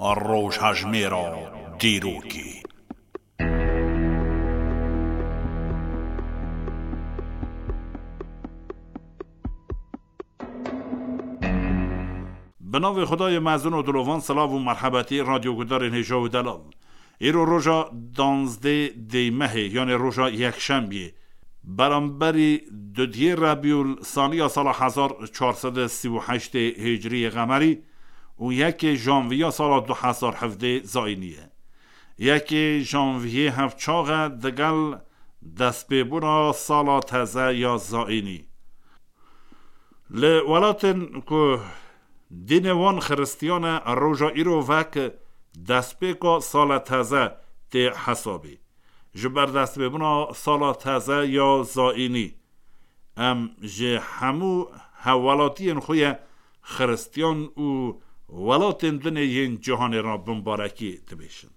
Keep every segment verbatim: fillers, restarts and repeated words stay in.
Rojhejmêra dîrokê. Bi navê Xwedayê mezin û dilovan, silav û merhebetî radyogudarên hêja û delal. Îro roja danzdê dê mehê, yanê roja yekşembiyê, beramberî dudiyê Rebîul Saniya sala hezar çar sed û sî û heştê Hicriyê Qemerî û yekê Janviya sala du hezar hevdê Zayînî ye. Yekê Janviyê hevçax e digel destpêbûna sala teze ya Zayînî. Li welatên ku dînê wan xiristiyan e, roja îro vek destpêka sala teze tê hesabê. Ji ber destpêbûna sala teze ya Zayînî, em ji hemû hevwelatiyên xwe ye xiristiyan û welatên din ê yên cîhanê re bimbarekî dibêjin.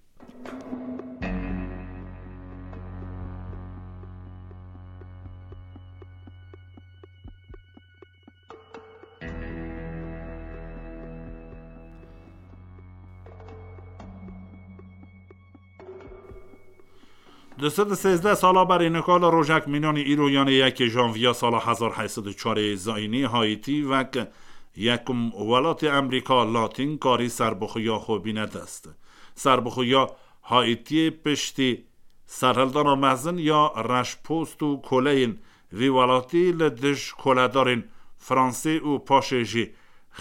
Du sed û sêzdeh sala berî nika li rojek mînanî îro, yanê yekê Janviya sala hezar heyt sed û çarê Zayînî, Haîtî wek yekum welatê Amerîka Latîn karî serbixwiya xwe bîne dest. Serbixwiya Haîtiyê piştî serhildana mezin ya reşpost û koleyên vî welatî li dij koledarên Fransê û paşê jî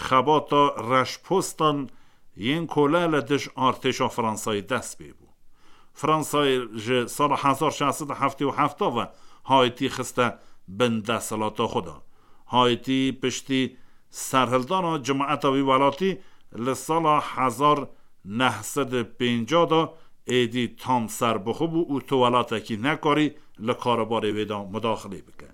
xebata reşpostan yên kole li dij artêşa Fransayê dest pê bû. Fransayê ji sala hezar şeş sed û heftê û heft ve Haîtî xiste bin desthilata xwe de. Haîtî piştî serhildana cemaeta wî welatî li sala hezar neh sed û pêncah de êdî tam serbixwe bû û tu welatekî nekarî li karobarê wê de mudaxilê bike.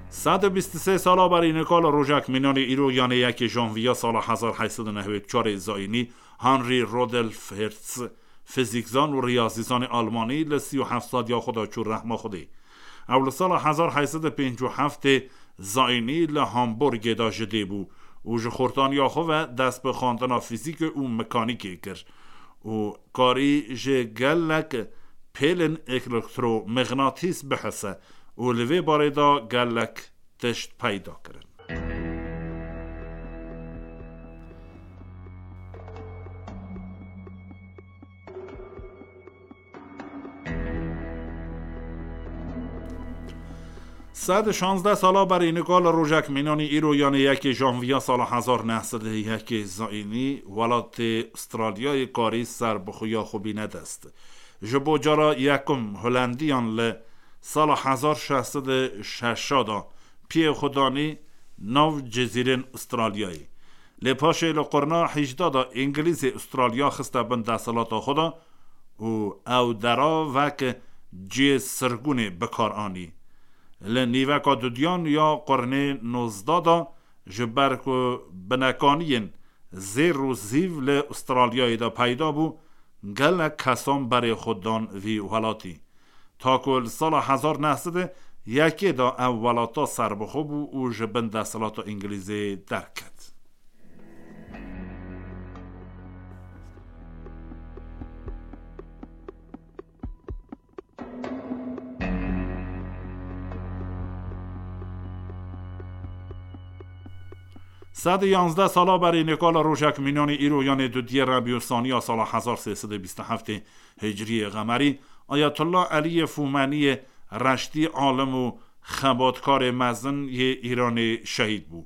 Sed û bîst û sê sala berî nika li rojek mînanê îro, yanê yekê Janviya sala hezar heyt sed û newêd û çarê Zayînî, Henri Rudolf Hertz, fizîkzan û riyazîzanê Almanî, li sî û heft saliya xwe de çû rehma Xwedê. Ew li sala hezar heyt sed û pêncî û heftê Zayînî li Hamburgê de ji dê bû û ji xortaniya xwe ve dest bi xwendina fizîkê û mekanîkê kir û karî ji gelek pêlên elektromixnatîs bihise û li vê barê de gelek tişt peyda kirin. Sed û şazdeh sala berî nika li rojek mînanî îro, yanê yekê Janviya sala hezar neh sed û yekê Zayînî, welatê Ustralyayê karî serbixwiya xwe bîne dest. Ji bo cara yekum Holendiyan li sala hezar şeş sed û şeş de piyê xwe danî nav cizîrên Ustralyayê. Lê paşê li qurna hejda de Îngilîzê Ustralya xiste bin desthilata xwe de û ew dera wek cihê sirgûnê bi kar anî. Li nîveka dudiyan ya qurnê nozdeh de, ji ber ku binekaniyên zêr û zîv li Ustralyayê de peyda bû, gelek kesan berê xwe dan vî welatî. Ta ku li sala hezar neh sed û yekê de ev welata serbixwe bû û ji bin desthilata Îngilîzê derket. Sed û yanzdeh sala berî nika li rojek mînanî îro, yanê dudiyê Rebîû Saniya sala hezar sê sed û bîst û heftê Hicriyê Qemerî, Ayetullah Eliyê Fûmeniyê reştî alim û xebatkarê mezin yê Îranê şehîd bû.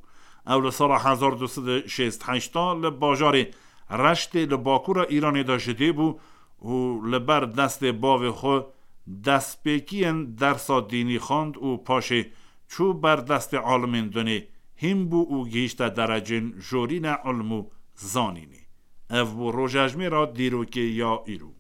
Ew li sala hezar du sed û şêst heşt de li bajarê Reştê li bakûra Îranê de ji dê bû û li ber destê bavê xwe destpêkiyên dersa dînî xwend û paşê çû ber destê alimên dinê hîn bû û gihîşte derecên jorîne ilm û zanînê. Ev bû rojejmêra dîrokê ya îro.